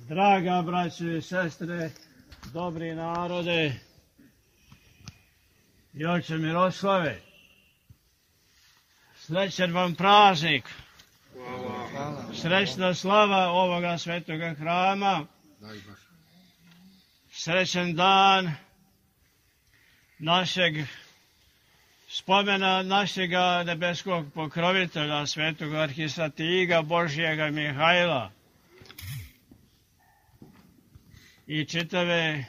Draga braćo i sestre, dobri narode i oče Miroslave, srećan vam praznik, srećna slava ovoga svetoga hrama, srećan dan našeg spomena našega nebeskog pokrovitelja, svetog arhistratiga Božijega Mihajla i čitave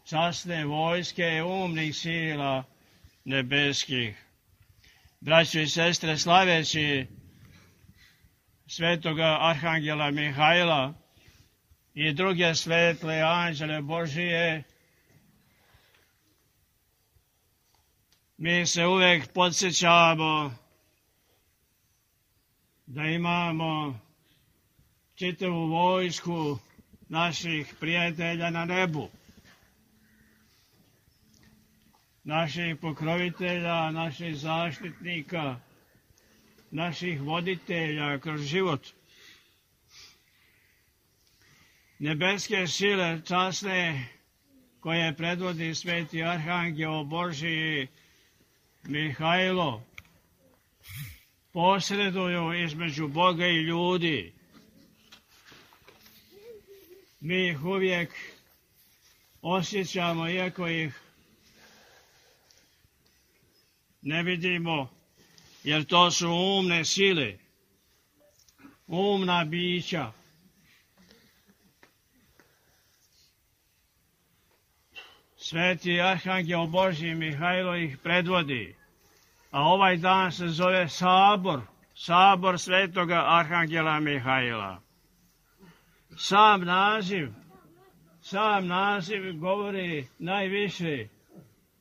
časne vojske umnih sila nebeskih. Braćo i sestre, slaveći svetoga arhangela Mihajla i druge svetle anđele Božije, mi se uvek podsjećamo da imamo čitavu vojsku naših prijatelja na nebu, naših pokrovitelja, naših zaštitnika, naših voditelja kroz život. Nebeske sile časne koje predvodi sveti arhangel Božiji Mihajlo posreduju između Boga i ljudi. Mi ih uvijek osjećamo, iako ih ne vidimo, jer to su umne sile, umna bića. Sveti arhangel Božji Mihajlo ih predvodi, a ovaj dan se zove Sabor svetoga arhangela Mihajla. Sam naziv govori najviše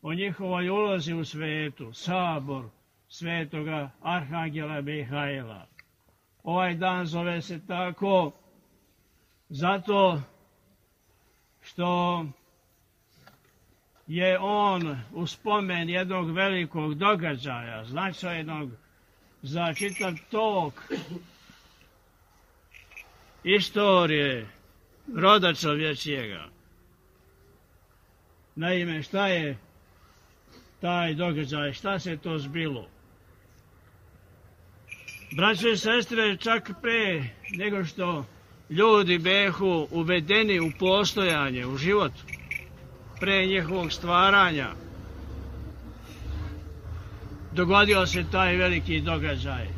o njihovoj ulozi u svetu, Sabor svetoga arhangela Mihajla. Ovaj dan zove se tako zato što je on u spomen jednog velikog događaja, značajnog za čitav tok istorije roda čovječijega. Naime, šta je taj događaj, šta se to zbilo? Braćo i sestre, čak pre nego što ljudi behu uvedeni u postojanje, u život, pre njihovog stvaranja, dogodio se taj veliki događaj.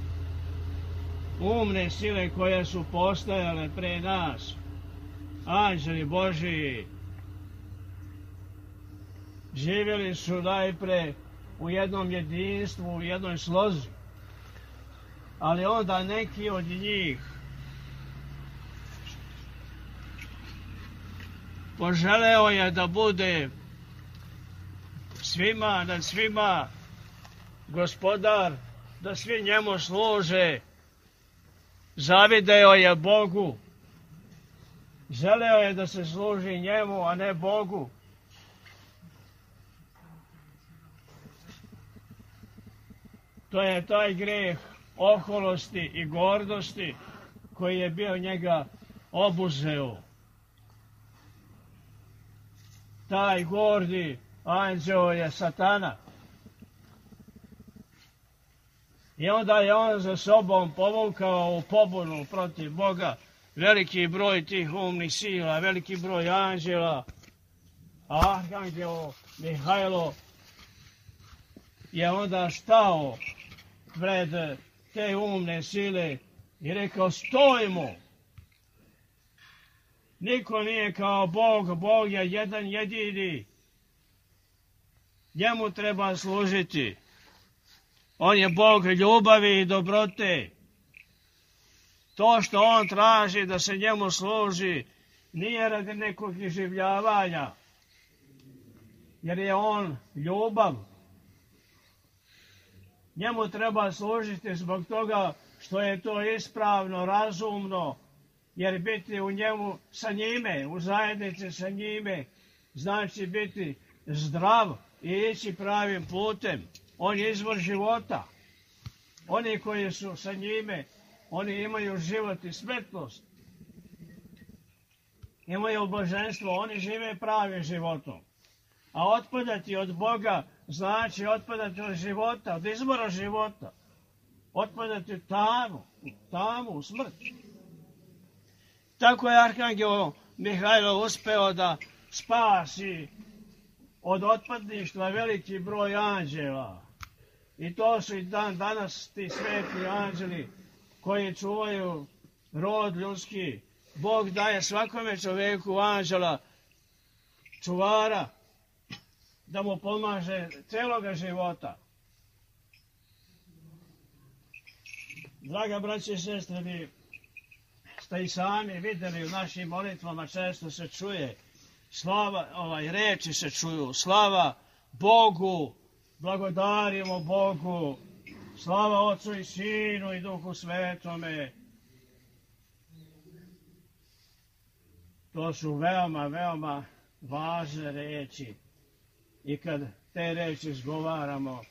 Umne sile koje su postojale pre nas, anđeli Božiji, živjeli su najpre u jednom jedinstvu, u jednoj slozi, ali onda neki od njih poželeo je da bude svima nad svima gospodar, da svi njemu služe. Zavideo je Bogu, želeo je da se služi njemu, a ne Bogu. To je taj greh oholosti i gordosti koji je bio njega obuzeo. Taj gordi anđeo je Satana. I onda je on za sobom povukao u pobunu protiv Boga veliki broj tih umnih sila, veliki broj anđela. A arhangel Mihajlo je onda stao pred te umne sile i rekao: stojimo! Niko nije kao Bog, Bog je jedan jedini. Njemu treba služiti. On je Bog ljubavi i dobrote. To što on traži da se njemu služi nije radi nekog iživljavanja, jer je on ljubav. Njemu treba služiti zbog toga što je to ispravno, razumno, jer biti u njemu sa njime, u zajednici sa njime, znači biti zdrav i ići pravim putem. On je izvor života. Oni koji su sa njime, oni imaju život i svetlost. imaju božanstvo, oni žive pravim životom. A otpadati od Boga znači otpadati od života, od izbora života. Otpadati u tamu, u smrt. Tako je arhangel Mihajlo uspeo da spasi od otpadništva veliki broj anđela. I to su i danas ti sveti anđeli koji čuvaju rod ljudski. Bog daje svakome čoveku anđela, čuvara, da mu pomaže celoga života. Draga braće i sestre, vi ste i sami vidjeli u našim molitvama, često se čuje slava, reči se čuju, slava Bogu, blagodarimo Bogu, slava Otcu i Sinu i Duhu Svetome. To su veoma, veoma važne reči. I kad te reči izgovaramo,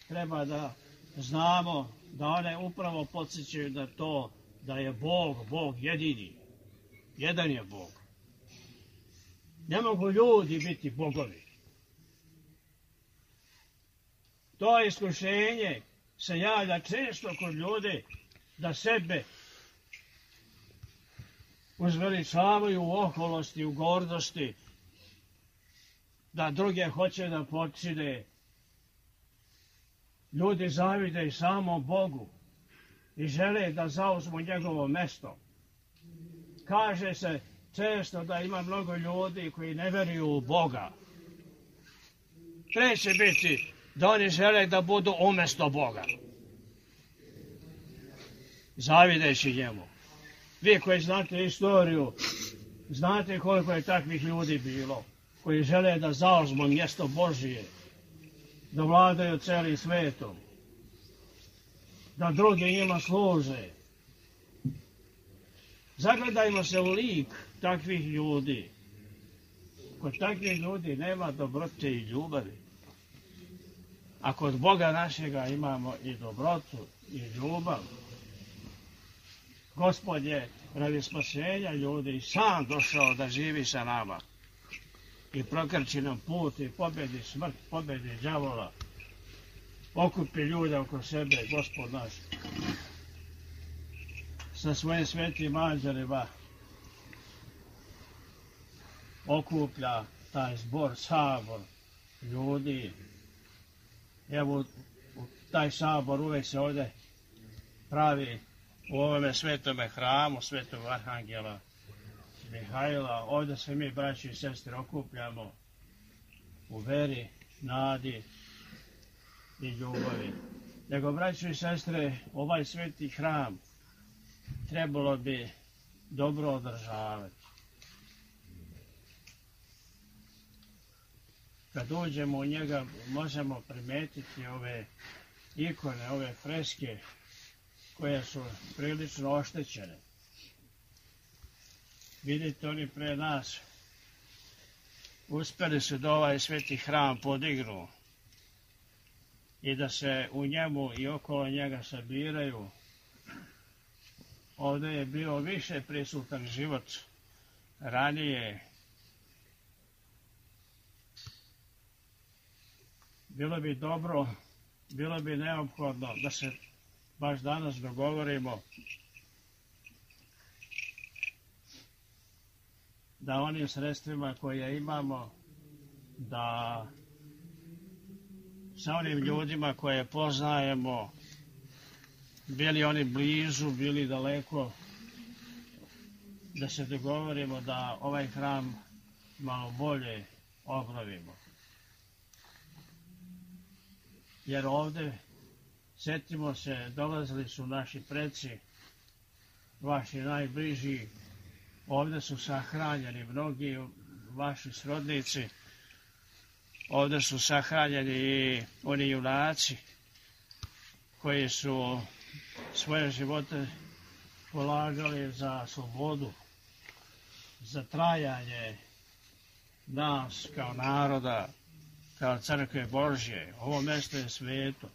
treba da znamo da one upravo podsjećaju da to, da je Bog jedini. Jedan je Bog. Ne mogu ljudi biti bogovi. To iskušenje se javlja često kod ljudi da sebe uzveličavaju u oholosti, u gordosti, da druge hoće da počine. Ljudi zavide i samo Bogu i žele da zauzmu njegovo mesto. Kaže se često da ima mnogo ljudi koji ne veruju u Boga. Treće biti da oni žele da budu umjesto Boga, zavideći njemu. Vi koji znate istoriju, znate koliko je takvih ljudi bilo, koji žele da zauzmu mjesto Božije, da vladaju celim svetom, da drugi njima služe. Zagledajmo se u lik takvih ljudi. Kod takvih ljudi nema dobrote i ljubavi. A kod Boga našega imamo i dobrotu i ljubav. Gospod je radi spasenja ljudi i sam došao da živi sa nama i prokrči nam put i pobedi smrt, pobedi đavola, okupi ljude oko sebe, Gospod naš, sa svojim svetim anđelima okuplja taj zbor, sabor ljudi. Evo, taj sabor uvek se ovdje pravi u ovome svetome hramu, svetog arhangela Mihajla. Ovdje se mi, braći i sestre, okupljamo u veri, nadi i ljubavi. Nego, braći i sestre, ovaj sveti hram trebalo bi dobro održavati. Kad uđemo u njega, možemo primetiti ove ikone, ove freske, koje su prilično oštećene. Vidite, oni pre nas uspeli su da ovaj sveti hram podignu i da se u njemu i okolo njega sabiraju. Ovdje je bio više prisutan život ranije. Bilo bi dobro, bilo bi neophodno da se baš danas dogovorimo da onim sredstvima koje imamo, da sa onim ljudima koje poznajemo, bili oni blizu, bili daleko, da se dogovorimo da ovaj hram malo bolje obnovimo. Jer ovdje, sjetimo se, dolazili su naši preci, vaši najbliži, ovdje su sahranjeni mnogi vaši srodnici, ovdje su sahranjeni i oni junaci koji su svoje živote polagali za slobodu, za trajanje nas kao naroda, kao crkve Božje. Ovo mjesto je sveto.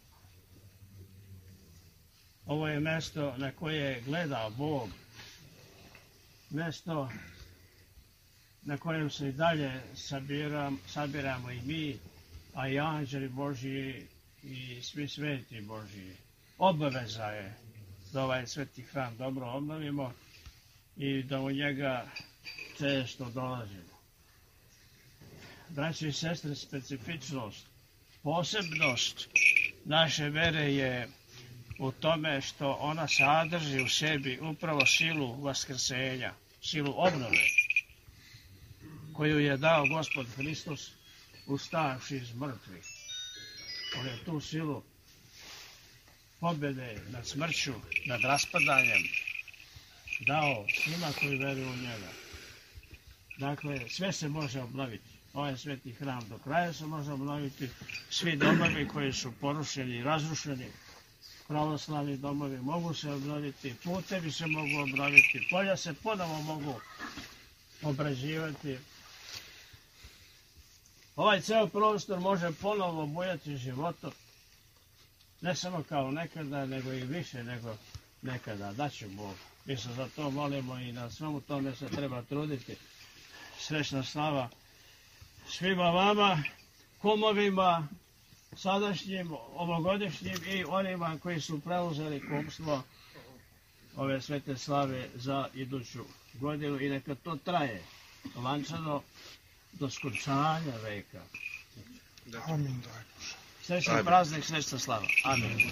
Ovo je mjesto na koje gleda Bog. Mjesto na kojem se i dalje sabiramo i mi, a i anđeli Božji i svi sveti Božji. Obaveza je da ovaj sveti hram dobro obnovimo i da u njega često dolazimo. Braći i sestre, specifičnost, posebnost naše vere je u tome što ona sadrži u sebi upravo silu vaskrsenja, silu obnove, koju je dao Gospod Hristos ustavši iz mrtvih. On je tu silu pobjede nad smrću, nad raspadanjem dao svima koji veruju u njega. Dakle, sve se može obnoviti. Ovaj sveti hram do kraja se može obnoviti. Svi domovi koji su porušeni i razrušeni, pravoslavni domovi mogu se obnoviti, putevi se mogu obnoviti, polja se ponovo mogu obrađivati. Ovaj ceo prostor može ponovo bujati životom, ne samo kao nekada, nego i više nego nekada. Daće Bog. Mi se za to molimo i na svemu tome se treba truditi. Srećna slava svima vama, kumovima, sadašnjim, ovogodišnjim i onima koji su preuzeli kumstvo ove svete slave za iduću godinu i neka to traje lančano do skončanja veka. Amin. Srećan praznik, srećna slava. Amin.